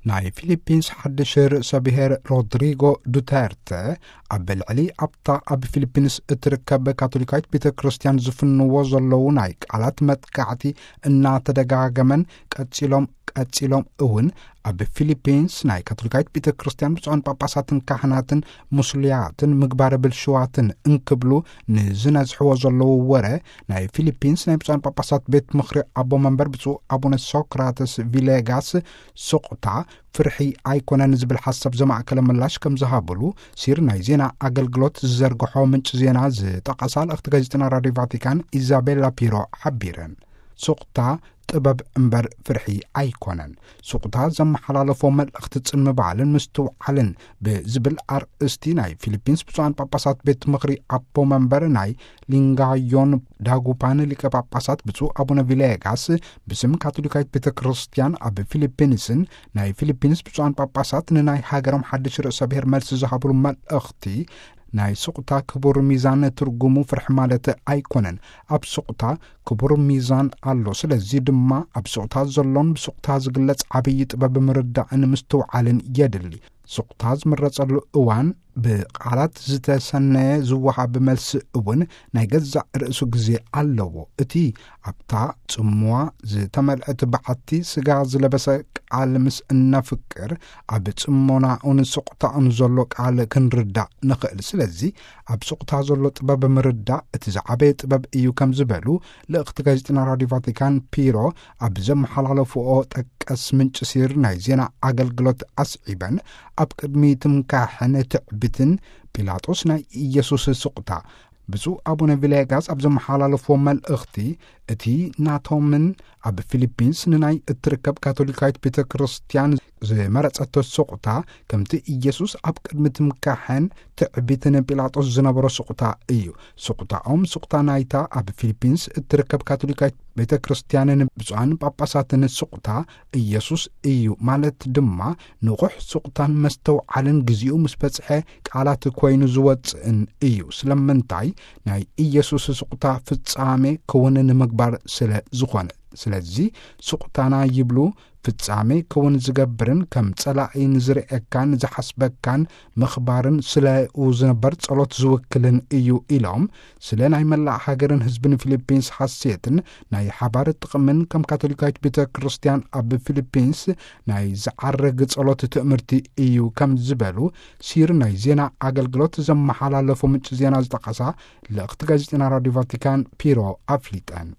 ናይ ፊሊፒንስ ሓድሽ ርእሰ ብሔር ሮድሪጎ ዱተርተ ኣብ ልዕሊ ኣብታ ኣብ ፊሊፒንስ እትርከብ ካቶሊካዊት ቤተ ክርስቲያን ዝፍንዎ ዘለዉ ናይ ቃላት መጥቃዕቲ እናተደጋገመን ቀጺሎም ቀጺሎም እውን ኣብ ፊሊፒንስ ናይ ካቶሊካዊት ቤተ ክርስቲያን ብፁዓን ጳጳሳትን ካህናትን ሙስልያትን ምግባረ ብልሽዋትን እንክብሉ ንዝነዝሕዎ ዘለዉ ወረ፣ ናይ ፊሊፒንስ ናይ ብፁዓን ጳጳሳት ቤት ምኽሪ ኣቦ መንበር ብፁዕ ኣቡነ ሶክራተስ ቪሌጋስ ስቕታ ፍርሒ ኣይኮነን ዝብል ሓሳብ ዘማእከለ ምላሽ ከም ዝሃብሉ ሲር ናይ ዜና ኣገልግሎት ዝዘርግሖ ምንጭ ዜና ዝጠቐሳ ልእኽቲ ጋዜጠና ራድዮ ቫቲካን ኢዛቤላ ፒሮ ሓቢረን። ስቕታ ጥበብ እምበር ፍርሒ ኣይኮነን። ስቕታ ዘመሓላለፎ መልእኽቲ ጽን ምባልን ምስትውዓልን ብዝብል ኣርእስቲ ናይ ፊሊፒንስ ብፁዓን ጳጳሳት ቤት ምኽሪ ኣቦ መንበር ናይ ሊንጋዮን ዳጉፓን ሊቀ ጳጳሳት ብፁዕ ኣቡነ ቪሌጋስ ብስም ካቶሊካዊት ቤተ ክርስቲያን ኣብ ፊሊፒንስን ናይ ፊሊፒንስ ብፁዓን ጳጳሳት ንናይ ሃገሮም ሓድሽ ርእሰ ብሔር መልሲ ዝሃብሉ መልእኽቲ ናይ ስቕታ ክቡር ሚዛን ትርጉሙ ፍርሒ ማለት ኣይኮነን። ኣብ ስቕታ ክቡር ሚዛን ኣሎ። ስለዚ ድማ ኣብ ስቕታ ዘሎን ብስቕታ ዝግለጽ ዓብዪ ጥበብ ምርዳእን ምስትውዓልን የድሊ። ስቕታ ዝምረጸሉ እዋን ብቃላት ዝተሰነየ ዝወሃብ መልሲ እውን ናይ ገዛእ ርእሱ ግዜ ኣለዎ። እቲ ኣብታ ጽምዋ ዝተመልአት በዓቲ ስጋ ዝለበሰ ቃል ምስ እነፍቅር ኣብ ጽሞናኡን ስቕታኡን ዘሎ ቃል ክንርዳእ ንኽእል። ስለዚ ኣብ ስቕታ ዘሎ ጥበብ ምርዳእ እቲ ዝዓበየ ጥበብ እዩ ከም ዝበሉ ልእኽቲ ጋዜጠና ራድዮ ቫቲካን ፒሮ ኣብ ዘመሓላለፍኦ ጠቀስ ምንጭ ሲር ናይ ዜና ኣገልግሎት ኣስዒበን፣ ኣብ ቅድሚ ትምካሕን ትዕቢትን ጲላጦስ ናይ ኢየሱስ ስቕታ ብፁዕ ኣቡነ ቪሌጋስ ኣብ ዘመሓላለፍዎ መልእኽቲ፣ እቲ ናቶምን ኣብ ፊሊፒንስ ንናይ እትርከብ ካቶሊካዊት ቤተ ክርስቲያን ዝመረጸቶ ስቕታ ከምቲ ኢየሱስ ኣብ ቅድሚ ትምካሕን ትዕቢትን ጲላጦስ ዝነበሮ ስቕታ እዩ። ስቕታኦም ስቕታ ናይታ ኣብ ፊሊፒንስ እትርከብ ካቶሊካዊት ቤተ ክርስቲያንን ብፁዓን ጳጳሳትን ስቕታ ኢየሱስ እዩ ማለት ድማ ንቑሕ ስቕታን መስተውዓልን ግዚኡ ምስ በጽሐ ቃላት ኮይኑ ዝወጽእን እዩ። ስለምንታይ? ናይ ኢየሱስ ስቕታ ፍጻሜ ክውን ንምግባር ስለ ዝኾነ። ስለዚ ስቕታና ይብሉ ፍጻሜ ክውን ዝገብርን ከም ጸላኢ ንዝርእየካን ዝሓስበካን ምኽባርን ስለኡ ዝነበር ጸሎት ዝውክልን እዩ ኢሎም፣ ስለ ናይ መላእ ሃገርን ህዝብን ፊሊፒንስ ሓሴትን ናይ ሓባር ጥቕምን ከም ካቶሊካዊት ቤተ ክርስቲያን ኣብ ፊሊፒንስ ናይ ዝዓረግ ጸሎት ትእምርቲ እዩ ከም ዝበሉ ሲር ናይ ዜና ኣገልግሎት ዘመሓላለፎ ምንጭ ዜና ዝጠቐሳ ልእኽቲ ጋዜጠና ራድዮ ቫቲካን ፒሮ ኣፍሊጠን።